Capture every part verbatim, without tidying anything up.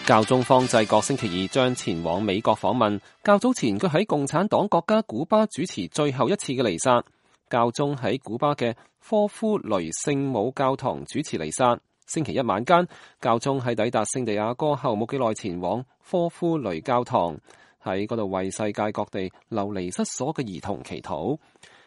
教宗方濟各星期二將前往美國訪問，較早前佢喺共產黨國家古巴主持最後一次嘅彌撒。教宗喺古巴嘅科夫雷聖母教堂主持彌撒。星期一晚間，教宗喺抵達聖地亞哥後冇幾耐前往科夫雷教堂，喺嗰度為世界各地流離失所嘅兒童祈禱。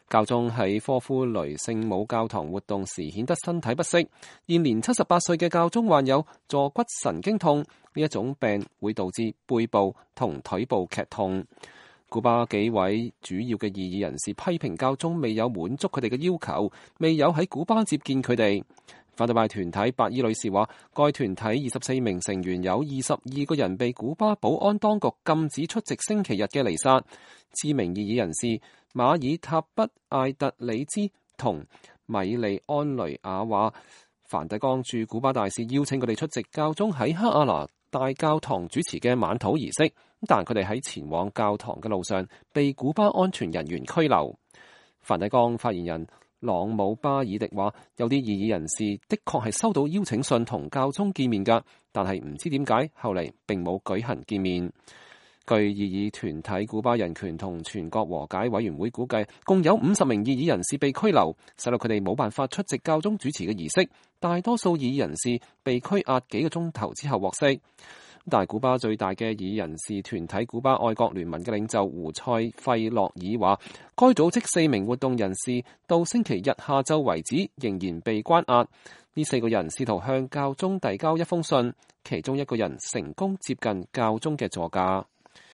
教宗喺科夫雷聖母教堂活動時顯得身體不適，現年七十八歲嘅教宗患有坐骨神經痛，呢一種病會導致背部同腿部劇痛。古巴幾位主要嘅異議人士批評教宗未有滿足佢哋嘅要求，未有喺古巴接見佢哋。反對派團體白衣女士話，該團體二十四名成員有二十二個人被古巴保安當局禁止出席星期日嘅彌撒。知名異議人士馬爾塔畢艾特里茲同米利安雷亞話，梵蒂岡駐古巴大使邀請佢哋出席教宗喺克阿拿大教堂主持嘅晚禱儀式，但佢哋喺前往教堂嘅路上被古巴安全人員拘留。梵蒂岡發言人朗姆巴爾迪話，有啲異議人士的確係收到邀請信同教宗見面㗎，但係唔知點解後嚟並冇舉行見面。據異議團體古巴人權同全國和解委員會估計，共有五十名異議人士被拘留，使到佢哋冇辦法出席教宗主持嘅儀式。大多數異議人士被拘押幾個鐘頭之後獲釋。但係古巴最大嘅異議人士團體古巴愛國聯盟嘅領袖胡塞費洛爾話，該組織四名活動人士到星期日下晝為止仍然被關押。呢四個人試圖向教宗遞交一封信，其中一個人成功接近教宗嘅座駕。